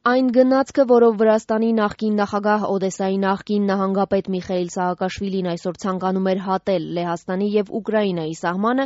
Այն գնացքը, որով Վրաստանի նախկին նախագահ Օդեսայի նախկին նահանգապետ Միխայիլ Սահակաշվիլին այսօր ցանկանում էր հատել Լեհաստանի եւ Ուկրաինայի սահմանը,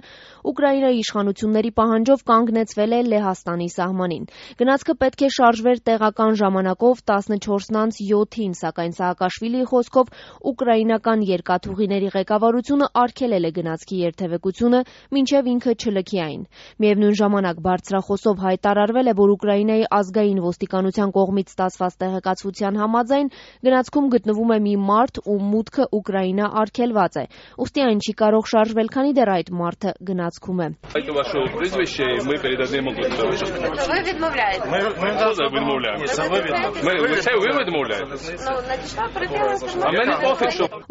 Ուկրաինայի իշխանությունների պահանջով կանգնեցվել է Լեհաստանի սահմանին։ Գնացքը պետք է շարժվեր տեղական ժամանակով 14:07, սակայն Սահակաշվիլիի խոսքով ուկրաինական երկաթուղիների ղեկավարությունը արգելել է գնացքի երթևեկությունը, մինչև ինքը չլքի այն։ Միևնույն ժամանակ բարձրախոսով հայտարարվել է, որ Ուկրաինայի ազգային ոստիկանության կողմից ստացված տեղեկացության համաձայն գնացքում գտնվում է մի մարդ, ում մուտքը Ուկրաինա արգելված է, ուստի այն չի կարող շարժվել, քանի դեռ այդ մարդը գնացքում է։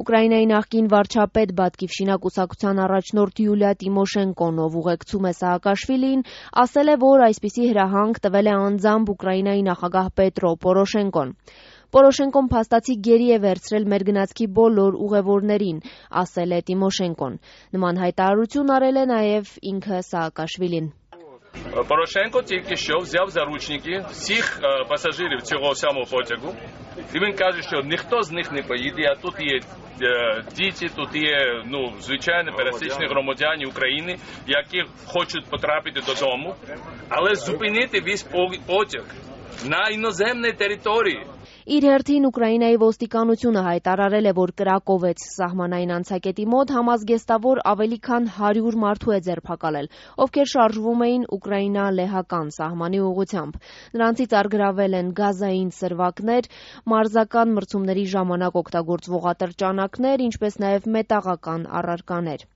Ուկրաինայի նախկին վարչապետ Բատկիվշինա կուսակցության առաջնորդ Յուլիա Տիմոշենկոն, ով ուղեկցում է Սահակաշվիլիին, ասել է, որ այսպիսի հրահանգ տվել է անձամբ Ուկրաինայի նախագահ Պետրո Պորոշենկոն։ Պորոշենկոն փաստացի գերի է վերցրել մեր գնացքի բոլոր ուղևորներին, ասել է Տիմոշենկոն։ Նման հայտարարություն արել է նաև инքը Սահակաշվիլին։ Порошенко только что взял в заручники всех пассажиров цього самого потягу. І він каже, що ніхто з них не поїде, а тут є діти, тут є, звичайно, пересічні громадяни України, які хочуть потрапити додому, але зупинити весь потяг на іноземній території. Իր հերթին Ուկրաինայի ոստիկանությունը հայտարարել է, որ Կրակովեց սահմանային անցակետի մոտ համազգեստավոր ավելի քան 100 մարդու է ձերբակալել, ովքեր շարժվում էին Ուկրաինա-լեհական սահմանի ուղղությամբ։ Նրանցից առգրավել են գազային սրվակներ, մարզական մրցումների ժամանակ օգտագործվող ատրճանակներ, ինչպես նաև մետաղական առարկաներ։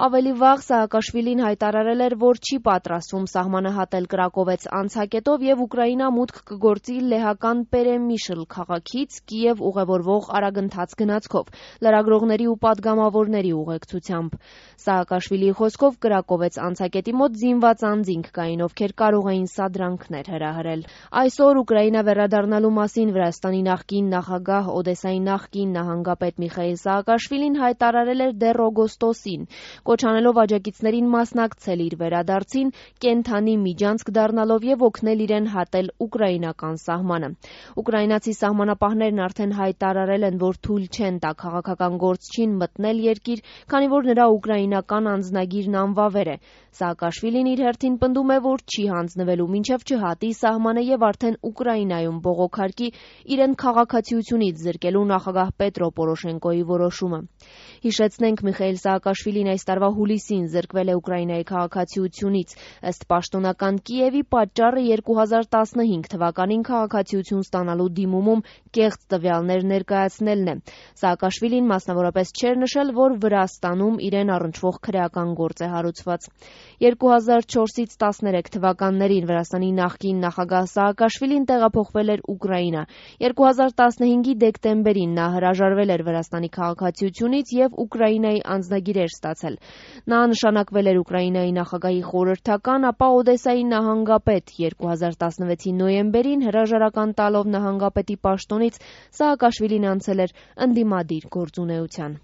Ավելի վաղ Սահակաշվիլին հայտարարել էր, որ չի պատրաստվում սահմանը հատել Կրակովեց անցակետով եւ Ուկրաինա մուտք կգործի լեհական Պերեմիշլ քաղաքից Կիև ուղևորվող արագընթաց գնացքով, լրագրողների ու պատգամավորների ուղեկցությամբ։ Սահակաշվիլիի խոսքով Կրակովեց անցակետի մոտ զինված անձինք կային, ովքեր կարող էին սադրանքներ հրահրել։ Այսօր Ուկրաինա վերադառնալու մասին Վրաստանի նախկին նախագահ Օդեսայի նախկին նահանգապետ Միխայիլ Սահակաշվիլին հայտարարել էր դեռ օգոստոսին, կոչանելով աջակիցներին մասնակցել իր վերադարձին, կենթանի միջանցք դառնալով եւ օգնել իրեն հատել ուկրաինական սահմանը։ Ուկրաինացի սահմանապահներն արդեն հայտարարել են, որ թույլ չեն տա քաղաքական գործչին մտնել երկիր, քանի որ նրա ուկրաինական անձնագիրն անվավեր է։ Սահակաշվիլին իր հերթին պնդում է, որ չի հանձնվելու մինչև չհատի սահմանը եւ արդեն Ուկրաինայում բողոքարկի իրեն քաղաքացիությունից զրկելու նախագահ Պետրո Պորոշենկոյի որոշումը։ Հիշեցնենք, Միխայիլ Սահակաշվիլին այս տարվա հուլիսին զրկվել է Ուկրաինայի քաղաքացիությունից։ Ըստ պաշտոնական Կիևի պատճառը 2015 թվականին քաղաքացիություն ստանալու դիմումում կեղծ տվյալներ ներկայացնելն է։ Սահակաշվիլին մասնավորապես չէր նշել, որ Վրաստանում իրեն առնչվող քրեական գործ է հարուցված։ 2004-ից 13 թվականներին Վրաստանի նախկին նախագահ Սահակաշվիլին տեղափոխվել էր Ուկրաինա։ 2015-ի դեկտեմբերին նա հրաժարվել էր Վրաստանի քաղաքացիությունից եւ Ուկրաինայի անձնագիր էր ստացել։ Նա նշանակվել էր Ուկրաինայի նախագահի խորհրդական, ապա Օդեսայի նահանգապետ 2016-ի նոյեմբերին հրաժարական տալով նահանգապետի պաշտոնից Սահակաշվիլին անցել էր ընդդիմադիր գործունեության։